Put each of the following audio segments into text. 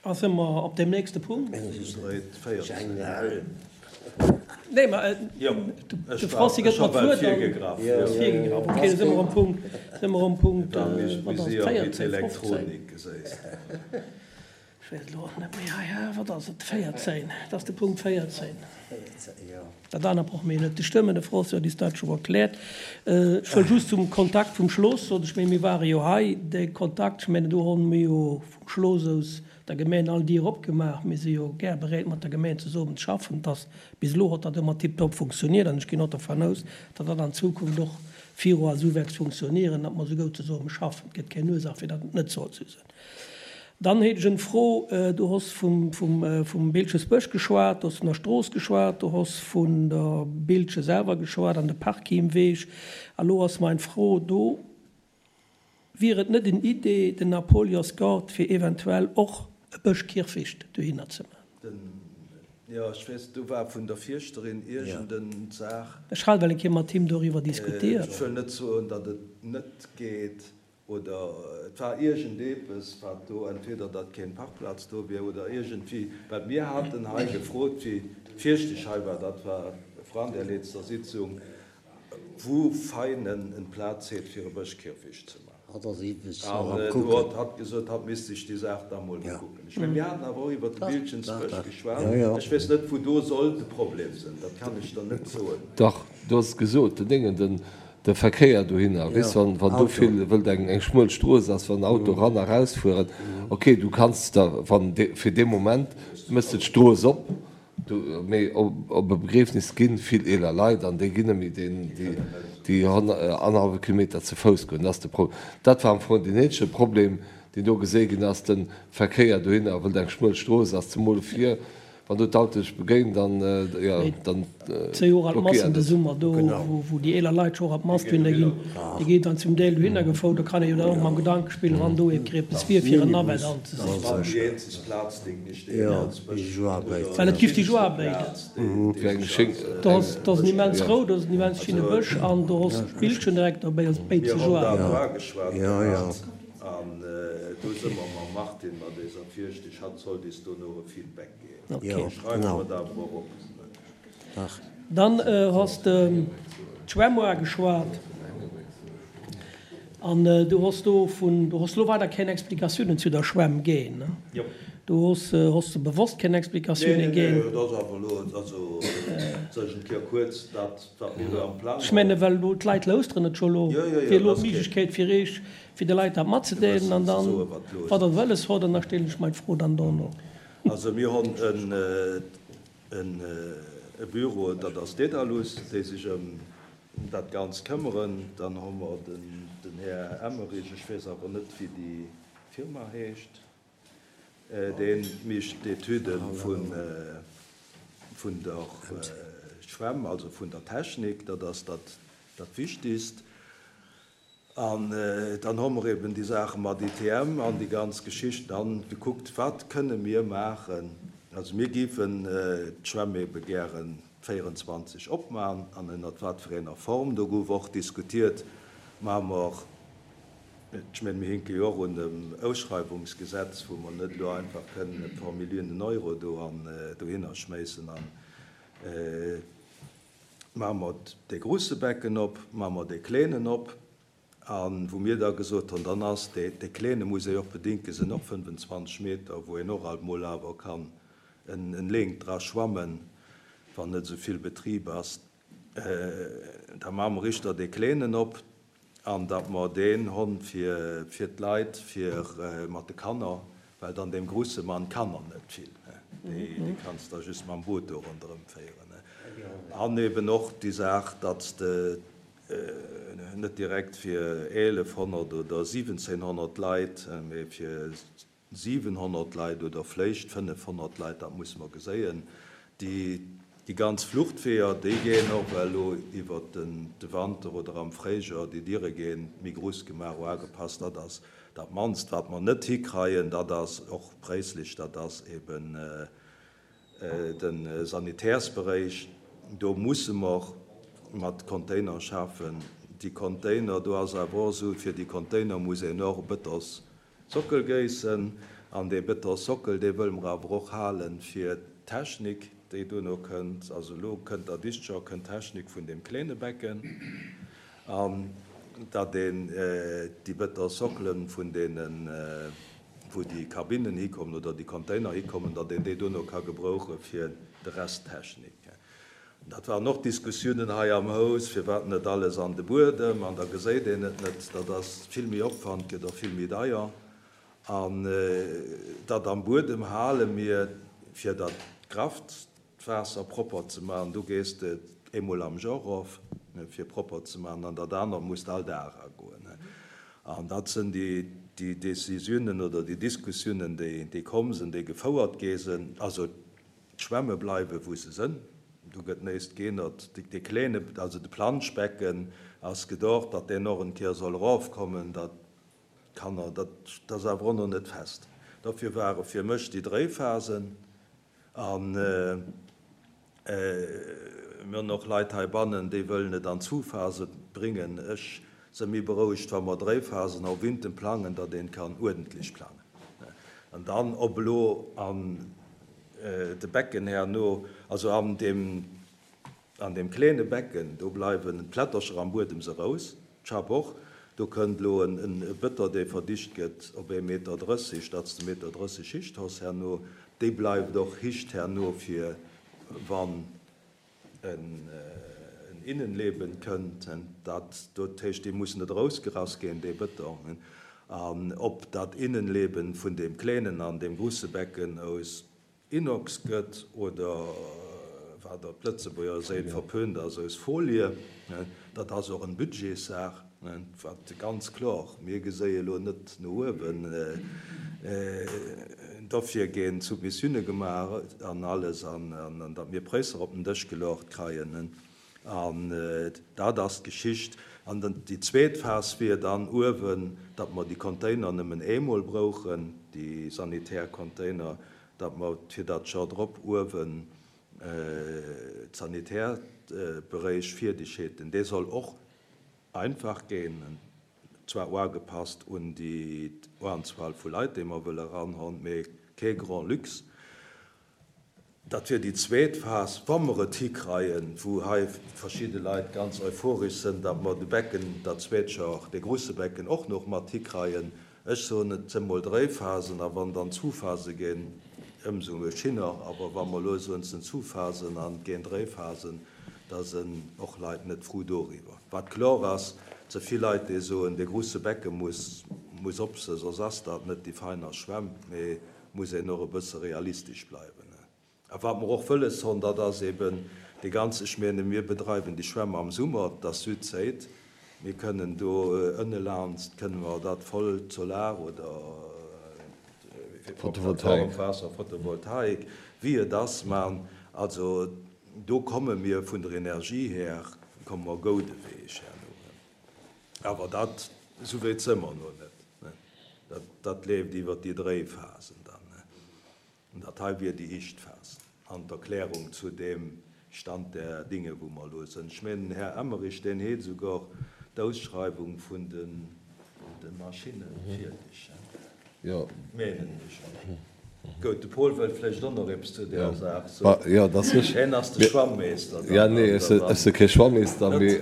A si mer op deem nächste Punkt? Nee, ma de Francis gëtt mer d'Wuert an ass virgegraff. Ok, da si mer um Punkt, si mer um Punkt, wat ass et, 14, 15? Ech weess elo och net méi. Hei, wat ass et, 14? Et ass de Punkt 14. Dat anert brauche mir jo net ze stëmmen. De François huet is dat scho erkläert. Ech wëll just zum Kontakt vum Schloss soen, ech menge mir ware jo hei, de Kontakt, ech menge do hu mir jo vum Schloss aus der Gemeng all Dier opgemaach. Mir si jo gär bereet mat der Gemeng zesummen ze schaffen. Et ass, bis elo huet dat ëmmer tiptop funktioniert an ech ginn och dervan aus, datt dat an Zukunft och viru a sou wäert funktionieren, datt mer esou goud zesumme schaffen. Et gëtt keng Ursaach fir datt et net sollt sou sinn. Dann hätt ech en Fro, Du hos vum Bildchesbësch geschwat, du hos vun der Strooss geschwat, du hos vun der Bildche selwer geschwat an de Parkheemweg. A lo ass mein Fro do, Wier et net en Idee, den Napoleonsgaart fir eventuell och e Bëschkierfecht dohinner ze man? Jo, ech weess, do war vun der Fierschterin iergend en Saach. Ech hat well eng Kéier mat him doriwwer diskutiert. Ech wëll net soen, datt et net geet. Oder et war iergendepes, wat do, entweder datt keen Parkplaz do wier oder iergendwéi, well mir haten hei gefrot, wéi d'Fierschtesch hei war, dat war vran der letzter Sitzung, wou Veinen en Plaz heet fir e Bëschkierfecht ze maachen. An do huet hatt gesot, hatt misst sech déi Saach da mol ukucken. Ech mengen, mir haten awer och iwwert de Biltgensbësch geschwat. Ech weess net, wou do soll de Problem sinn, dat kann ech der net soen. Dach, du has et gesot, den Déngen, den. De Verkéier dohinner, weess wann wann do vill, wëll et eng eng schmuel Strooss ass, wann Auto ran a raus fueren, ok du kanns da wann de fir dee Moment méchs de d'Strooss op, du mee op op e Begriefnis ginn vill eeler Leit an déi ginn net méi deen déi déi annerhallwe Kilometer ze Fouss goen, dat ass de Problem. Dat war am Fong deen eenzege Problem deen do gesé ginn ass, de Verkéier dohinner, wëll et eng schmuel Strooss ass, zemol fir Wann do d'Auto sech begéint, dann, jo, dann Zejoer an d'Massen de Summer do, wou déi eeler Leit scho och an d'Mass dohinner ginn, déi ginn dann zum Deel dohinner gefouert. Do kann ee jo dann och mam Gedanke spillen, wann do eppes wier, fir en Navette anzesetzen. Well et giff déi jo aarbéiden. Do ass en immens rou, do ass en immens schinne Bësch an do ass d'Bildchen direkt derbäi, also béid ze jo aarbeiten. An do si mer mam Martine, mat eiser Fierschtesch, hatt sollt is dono e Feedback ginn. Schreiwe mer dat awer och op. Dann has de d'Schwämm uageschwat an du hos do vun, du hos lo weider keng Explikatiounen zu der Schwämm ginn, ne? Jo. Du hos, hos de bewosst keng Explikatiounen ginn? Nee, nee, dat ass awer elo, also soll ech en Kéier kuerz dat, wat mir elo am Plang hunn. Ech menge well elo d'Leit lauschteren et scho elo, wier elo d'Méiglechkeet fir Iech, fir de Leit dat matzedeelen an dann, wat Der wëlles hott, an da stellen ech mei Fro dann dono. Also mir honn e Büro, dat ass Dedalus, déi sech ëm dat Ganzt këmmeren. Dann hu mer den Här Emmerich, ech weess awer net wéi déi Firma heescht, dee mécht d'Etüde vun der Schwämm, also vun der Technik, dat ass dat Wichtigst. An dann hu mer eben déi Saache mat ITM an déi ganz Geschichten an gekuckt, wat kënne mir maachen. Also mir géifen d'Schwämm ebe gären 24 opmachen an ënnert wat fir enger Form. Do gouf och diskutiert, maache mer, ech mengen, mir hinke jo och un dem Ausschreiwungsgesetz, wou mer net elo einfach kënnen e paar Milliounen Euro do an dohinner schméissen an Maache mer dee grusse Becken op, maache mer dee kleenen op. A wou mir da gesot hunn, dann ass dee, dee kleene muss ee jo och bedinken, sinn och 25 Meter, wou een och alt mol awer kann en Leengt dra schwammen, wann net esou vill Betrib ass. Da maache mer richter dee kleenen op. An datt mer deen honn fir fir d'Leit, fir mat de Kanner, well dann deem grusse man d'Kanner net vill, déi déi kanns da just mam Boot do ronderëm féieren. An eben och déi Saach, datt s de net direkt fir 1100 oder 1700 Leit, mee fir 700 Leit oder vléicht 500 Leit, dat musse mer geséien. Déi ganz Fluchtweeër, déi géien och well elo iwwert de Wanter oder am Fréijoer, déi Diere géien méi grouss gemaach, uagepasst. Dat ass dat mannst, wat mer net hikreien. Dat ass och préislech, dat ass eben de Sanitärsberéich. Do musse mer mat Container schafen. Déi Container, do ass awer och esou, fir déi Container muss een och e bëtters Sockel géissen. An dee Betonsockel, dee wëlle mer awer och halen fir d'Technik, déi duerno kënnt. Also elo kënnt der Dichtjoer kënnt d'Technik vun deem kleene Becken. An datt een déi Betonsockelen vun deenen, wou déi Kabinnen hikommen oder déi Container hikommen, datt een déi duerno ka gebrouche fir de Rest Technik. Dat waren och Diskussiounen hei am Haus, firwat net alles an de Buedem, an da geséit een et net. Dat ass vill méi Opwand, gëtt och vill méi deier. An dat am Buedem hale mir, fir dat Kraftwaasser propper ze maachen. Do gees de eemol am Joer erof, fir propper ze maachen, an dat anert muss de all Dag eragoen. An dat sinn déi Décisiounen oder déi Diskussiounen, déi komm sinn, déi gefouert gi sinn. Also D'Schwämme bleiwe wou se sënn, do gëtt néist geenert. Dee kléne, also de Planschbecken ass gedocht, datt deen och en Kéier soll erofkommen, datt d'Kanner, dat ass awer och nach net fest. Dofir ware fir mech déi Dréiphasen a mir hunn och Leit heibannen, déi wëllen et an Zuphase bréngen. Ech se méi berouegt, wa mer Dréiphasen au Winten plangen, datt een kann uerdentlech plangen. An dann, ob elo an de Becken herno, also an deem, an deem kleene Becken, do bleiwen d'Plättercher am Buedem se rous, d'Schapp och. Do kënnt elo en Bëtter, dee verdicht gëtt op ee Meter 30, datt s de Meter 30 Hicht hoss herno. Déi bleift och Hicht herno, fir wann en Innenleben kënnt, dat dat heescht, dee muss net erausgerass ginn, dee Bëtong, an ob dat Innenleben vun deem klénen an deem grusse Becken aus Inox gëtt oder, wat op Lëtzebuerger Séit verpönt ass, aus Folie, dat ass och en Budgetssaach. Wat ganz kloer, mir geséie elo net no uewen, dofir ginn Submissioune gemaach an alles, an datt mir Präisser op den Dësch geluecht kreien. An dat ass d'Geschicht. An déi zweet Phas wier dann uewen, datt mer déi Container nëmmen eemol brouchen, déi sanitär Container, datt mer fir dat Joer drop uewen d'Sanitärberéich fierdeg hätten. Dee soll och Einfach ginn, zwar uagepasst un déi Uanzuel vu Leit, déi mer wëlle eranhon, mee kee grand luxe. Dat wier déi zweet Phas, wa mer et hikreien, wou hei verschidde Leit ganz euphoresch sënn, datt mer de Becken, dat zweet Joer, dee grusse Becken och nach mat hikreien. Ech soen, et sënn mol dréi Phasen, a wann dann zu Phase ginn, ëmsou schinner. Awer wa mer elo soen, et sënn zu Phasen an et ginn dréi Phasen, da sënn och Leit net frou doriwwer. Wat klor ass, et së vill Leit, déi soen, dee grusse Becke muss muss op se, soss ass dat net déi feiner Schwämm. Mee muss een och e bësse realistesch bleiwen. A wat mer och wëlles honn, dat ass eben dee ganze, ech mene mir bedreiwen déi Schwämm am Summer, et ass Südséit, mir kënnen do ënnelanst kënne mer dat voll Solar oder Waasser, Photovoltaik, wéi et ass, man. Also do komme mir vun der Energie här, komme mer goude Weeg herno. Awer dat, esou wéit së mer no net. Dat leeft iwwer déi Dréiphasen dann. An dat hei wier déi éischt Phas an d'Erklärung zu deem Stand der Dinge, wou mer elo sënn. Ech mengen, den Här Emmerich, deen heet esouguer d'Ausschreiwung vun de Maschinne fierdeg, menen ech. Gout, de Paul wëllt vläicht och nach eppes zu där Saach soen. Hien ass de Schwammeester dann. Jo, nee, ech si kee Schwammeester, mee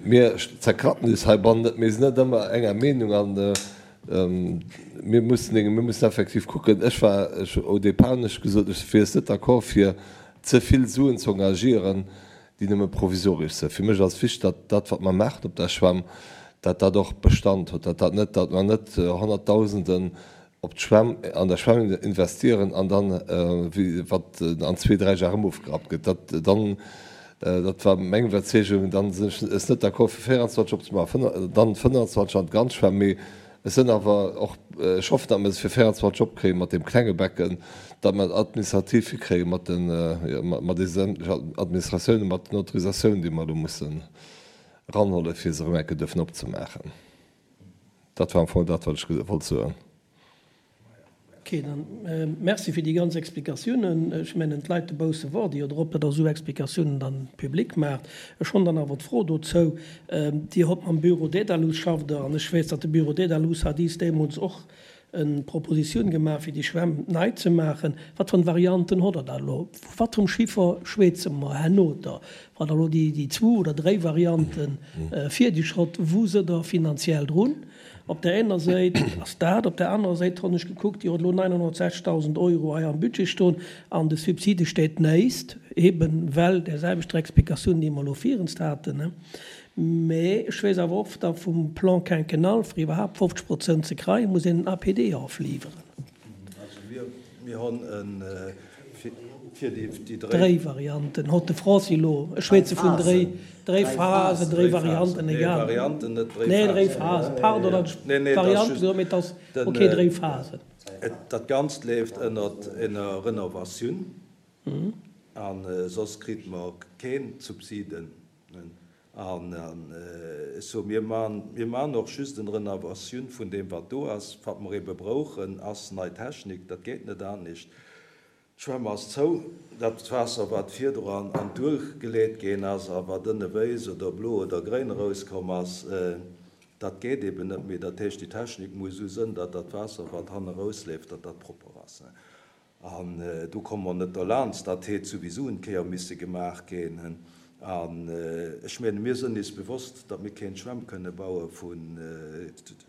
mir zerkratten eis heibannen net. Mir sinn net ëmmer enger Meenung an Mir mussen, mir mussen effektiv kucken. Ech war, ech, au départ hunn ech gesot, ech wier net d'accord fir ze vill Suen ze engagieren, déi nëmme provisoresch sinn. Fir mech ass wichteg, datt dat wat mer maachen op der Schwämm, datt dat och Bestand huet, datt dat net, datt mer net Honnertdausenden op d'Schwämm, an der Schwämm investieren an dann, wéi wat an zwee, dräi Jar erëm ofgerappt gëtt. Dat dann, dat war meng Iwwerzeegung. Dann sinn ech es net d'accord fir 24 opzemaachen, dann 25 an d'ganz Schwämm. Mee ech sinn awer och, ech hoffen, datt mer se fir 24 opkréie mat deem klenge Becken, datt mer et administrativ hikréie mat den, mat deene sämtlechen Administratiounen, mat den Autorisatiounen, déi mer elo mussen eranhuelen, fir se erëm eng Kéier duerfen opzemaachen. Dat war am Fong dat, wat ech wollt soen. Ok, dann merci fir déi ganz Explikatiounen. Ech mengen, d'Leit dobausse waarde jo drop, datt Der esou Explikatiounen dann public maacht. Ech hunn dann awer d'Fro dozou, Dir hott mam Bureau Dedalus, schafft Der, an ech weess, datt de Bureau Dedalus hat iis deemools och. En Propositioun gemaach fir déi Schwämm nei ze maachen. Wat fir Varianten hott der da elo? Vu wat fir Chiffer schwätze mer herno da, wann der elo déi zwou oder dréi Varianten fierdeg hott? Wou sëtt der finanziell drun? Op där ener Séit ass dat, op där anerer Séit honn ech gekuckt, Dir hutt elo 960.000 Euro hei am Budget stoen an de Subside steet néist, eben well där selwechter Explikatioun, déi mer elo virenst haten. Mä ech weess awer och, datt vum Plan quinquennal, fir iwwerhaapt 50 Prozent ze kreien, muss een en APD ofliwweren. Also mir hunn e fir déi dréi. Dréi Varianten hott de Francis elo. Ech schwätze vun dréi, dréi Phasen, dréi Varianten, egal. Nee, Varianten, net dréi Phasen. Nee, dréi Phasen, pardon, datt ech Varianten gesot hunn, mee et ass ok, dréi Phasen. Dat Ganzt leeft ënnert ener Renovatioun a soss kritt mer keen Subsiden. An ech soe, mir man, mir man och just en Renovatioun vun deem, wat do ass. Wat mer ebe brouchen, ass nei Technik. Dat geet net anescht. D'Schwämm ass zou. Dat Waasser, wat virdru an d'Duel geleet ginn ass a wat ënne wéiss oder blo oder gréin erauskomm ass, dat geet eben net méi. Dat heescht, déi Technik muss esou sënn, datt dat Waasser, wat hanne erausleeft, datt dat propper ass. An do komme mer net derlaanst. Dat hätt souwisou en Kéier misse gemaach ginn. An ech menge mir sënn is bewosst, datt mir keen Schwämm kënne baue vun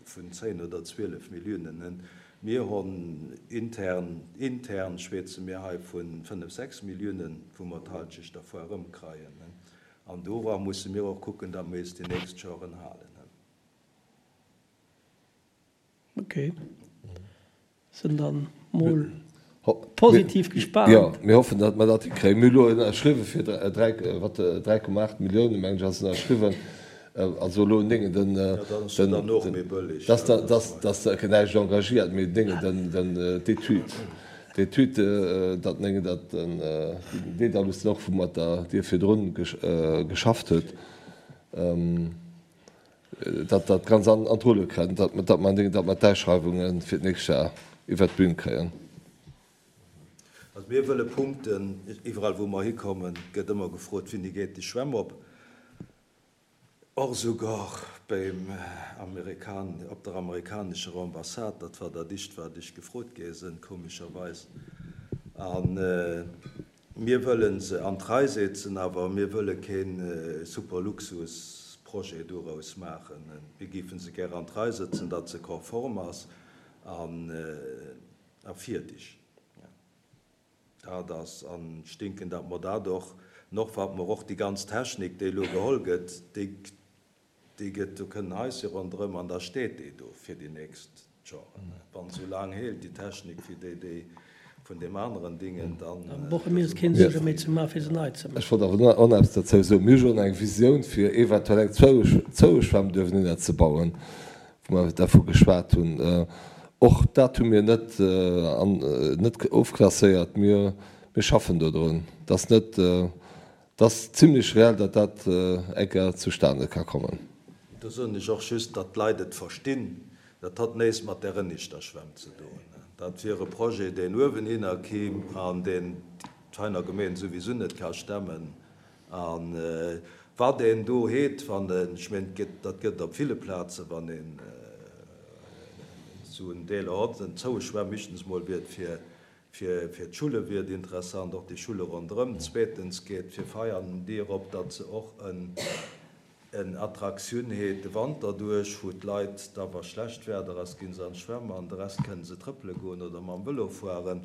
10 oder 12 Milliounen. Mir honn intern, intern schwätze mir hei vu 5, 6 Milliounen, wou mer d'Halschecht dervu erëmkreien. An dora musse mir och kucken, datt mir is déi nächst Joren halen. Ok, sinn dann mol positiv gespaant. Jo, mir hoffen datt mer dat hikréien. Mir hu lo ënnerschriwwe fir 3, wat, 3,8 Milliounen mengen ech ass ënnerschriwwen. Also elo néngen den, den, dass da, dass, dass da näischt engagiert, mee néngen den, den, d'Etüd, d'Etüd, datt néngen dat den Dedalus den och wou mat der Dir virdrun geschafft huet, Datt dat ganz an d'Rulle kënnt, datt mer datt mer d'Ausschreiwunge fir d'nächst Jar iwwert d'Bün kréien. Also mir wëlle Punkten. Iwwerall wou mer hikommen, gëtt ëmmer gefrot, Wéini geet déi Schwämm op? Och esouguer beim Amerikan, op der amerikanescher Ambassade, dat war dat éischt wat ech gefrot gi sinn, komescherweis. An Mir wëlle se an d'Rei setzen, awer mir wëlle kee Superluxusprojet doraus maachen. Mir géife se gär an d'Rei sëtzen, datt se konform ass a fierdeg. Dat ass, an ech denken, datt mer dat och, an och wat mer och déi ganz Technik, déi elo geholl gëtt, déi, Déi gëtt, do kënnen Haisje ronderëm an da steet déi do fir déi nächst Joren. Wann se esou laang hélt, déi Technik, wéi déi, déi vun deem aneren Dingen, dann. Da brauche mir eis keen Suerge méi ze maachen, fir se nei ze maachen. Ech wollt awer och nach eppes dozou soen. Mir hu schonn eng Visioun, fir eventuell eng Zoueschwämm duerfenhinner ze bauen, wou mer dervu geschwat hunn. Och dat hu mir net, net ofklasséiert. Mir, mir schaffen dodrun. Et ass net. Et ass zimlech reell, datt dat eng Kéier zustane ka kommen. Do soen ech och just, datt d'Leit et verstinn, dat hott néist mat där Rënnischter Schwämm ze doen. Dat wier e Projet, deen uewenhinner kimm an deen d'Veiner Gemeen souwisou net ka stemmen. A wat een do heet, wann en, ech mengen, dat gëtt et op ville Plazen, wann een esou en Deeler hott, en zoue Schwämm, éischtens emol wier et fir Fir d'Schulle wier et interessant, och déi Schulle ronderëm. Zweetens geet fir Veianen déi erop, datt se och en Attraktioun heet de Wanter duerch, wou d'Leit da wa schlecht Werder ass, gi se an d'Schwämm an de Rest kënne se trëppele goen oder mam Vëlo fueren.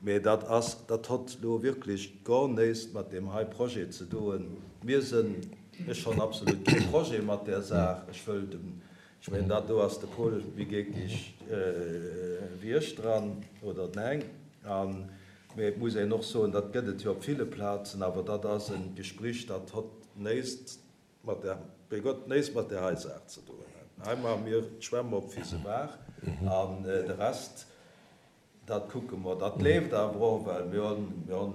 Mee dat ass, dat hott lo wierklech gor néist mat deem hei Projet ze doen. Mir sënn, ech honn absolut kee Projet mat där Saach. Ech wëll dem Ech mengen, dat do ass de Paul méi géckeg wéi ech dran, oder den Heng. An, mee et muss een och soen, dat gëtt et jo op ville Plazen, awer dat ass e Gesprich, dat hott néist mat där, bei Gott, néist mat där hei Saach ze doen. Hei maache mir d'Schwämm op, wéi se war, an de Rest, dat kucke mer. Dat leeft awer och, well mir hunn, mir hunn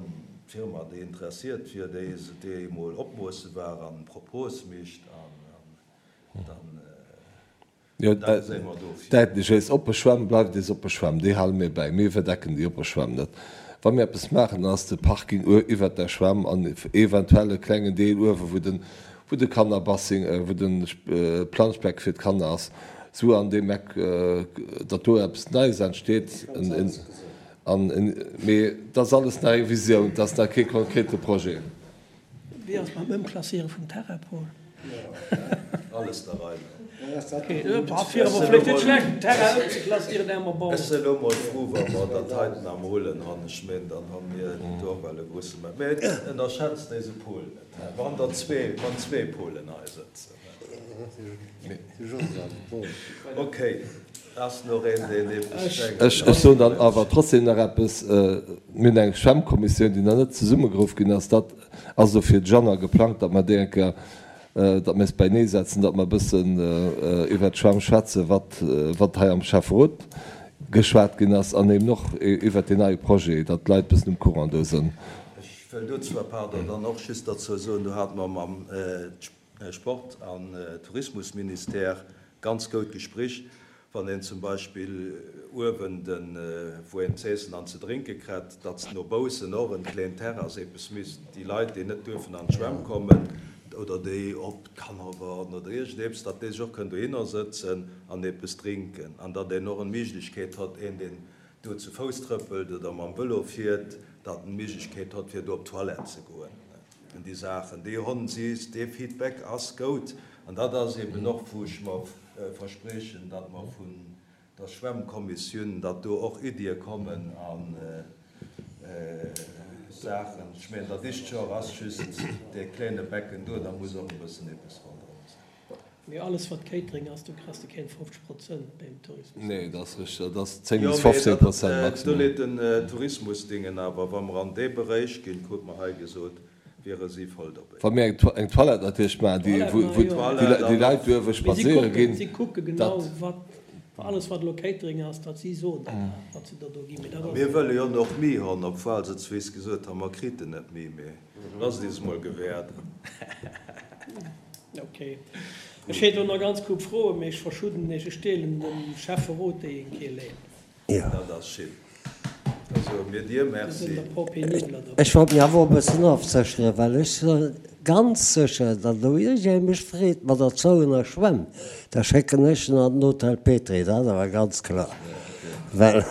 d'Firma, déi interessiert wier, déi, déi emol opmoosse war an Propose micht an, Jo, däitlech, eis oppe Schwämm bleift eis oppe Schwämm, déi hale mir bäi. Mir iwwerdecken déi oppe Schwämm net. Wa mir eppes maachen, dann ass de Parking iwwert der Schwämm an eventuell e klengen Deel uewe wou den, wou de Kannerbassing, wou de Planschbeck fir d'Kanner ass. Sue an deem Eck, datt do eppes Neies entsteet. An, mee dat ass alles nach eng Visioun, dat ass nach kee konkrete Projet. Wéi ass et mam Ëmklasséiere vum Terrain, Paul? Alles der Rei no. Ech sinn elo mol frou, wa mer dat heiten am Rullen han. Ech meen, dann hu mir do och well e grusse Mä. Mee ënnerschätzt éise Paul net, hä? Wann der zwee, wann zwee Paulen hei sëtzen, hä? Ok, ass nach een, deen eppes mengt? Ech soen dann awer trotzdem nach eppes. Mir hunn eng Schwämmkommissioun, déi nach net zesummegeruff ginn ass. Dat ass elo fir de Januar geplangt, datt mer déi eng Kéier, datt mir eis beinee setzen, datt mer e bëssen iwwert d'Schwämm schwätzen, wat, wat hei am Schäfferot geschwat ginn ass an eben och iwwert deen neie Projet, datt d'Leit e bëssen um Courant do sënn. Ech wëll dozou, pardon, dann och just derzou soen, do hate mer mam Sport an Tourismusministère ganz goud Gesprich, wann een zum Beispill uewen den, wou een z'eessen an ze drénke krett, datt no baussen och en kleen Terrass eepes misst, déi Leit déi net duerfen an d'Schwämm kommen oder déi op d'Kanner warden oder iergendeeps, datt déi sech och kënnen dohinner sëtzen an eepes drinken an datt een och en Méiglechkeet hott, een deen do zu Fouss trëppelt oder mam Vëlo fiert, datt en Méiglechkeet hott fir do op d'Toilette ze goen. An déi Saachen, déi honn si, dee Feedback ass goud. An dat ass eben och, wou ech mer verspriechen, datt mer vun der Schwämmkommissioun, datt do och Iddie kommen a Saachen. Ech mengen, dat éischt Joer ass just dee kléine Becken do, da muss och e bëssen eppes ronderëm sinn. Mee alles wat Catering ass, do kriss de keen 50 Prozent beim Tourismus. Nee, dat ass richteg, dat ass 10 bis 15 Prozent maximum. Do leet den Tourismusdingen awer, wa mer an dee Beréich ginn, krut mer hei gesot, wiere si voll dobéi. Wa mir eng Toilette natierlech maachen, déi, wou déi Leit duerfe spadséiere ginn, Si kucke genau, wat, alles wat elo Catering ass, datt si soen der dat, wat se der do ginn. Mee dat ass. Mir wëlle jo och méi honn, obwuel se zwis gesot han, mer kriten net méi, mee lasst is mol gewäerden. Ok. Ech hätt elo nach ganz kuerz Froen, mee ech verschudden iech. Ech deelen dem Schäfferot déi eng Kéier léin. Dat ass schin. Da soe mir dir Merci. Ech wollt mech awer och e bëssen ofsécheren, well ech si ganz sécher, datt elo iergendee mech freet mat der zouener Schwämm, da schécken ech en an den Hotel Petry, dat ass awer ganz kloer. Well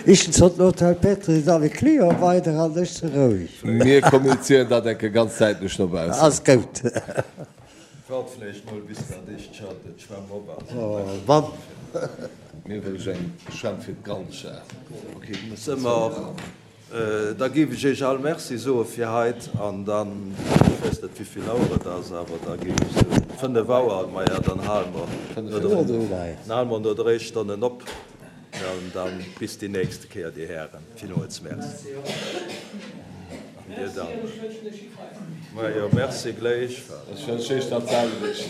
ichens huet den Hotel Petry dann e Client weider an ech si roueg. Mir kommunizéieren dat enke ganz däitlech no baussen. Ass goud. Waart vläicht mol bis dat éischt Joer d'Schwämm op ass. Wann. Mir wëll ech eng Schwämm fir d'Galcha. Së mer. Da géif ech Iech all Merci soe fir heit an dann, ech weess net wéivill Auer et ass, awer da géif ech soen 5 Auer, maja dann hale mer dann hale mer no dréi Stonnen op an da bis déi nächste Kéier, Dir Hären. Villmools Merci. An Dir dann. Majo, Merci gléichfalls. Ech wënschen Iech dat selwecht.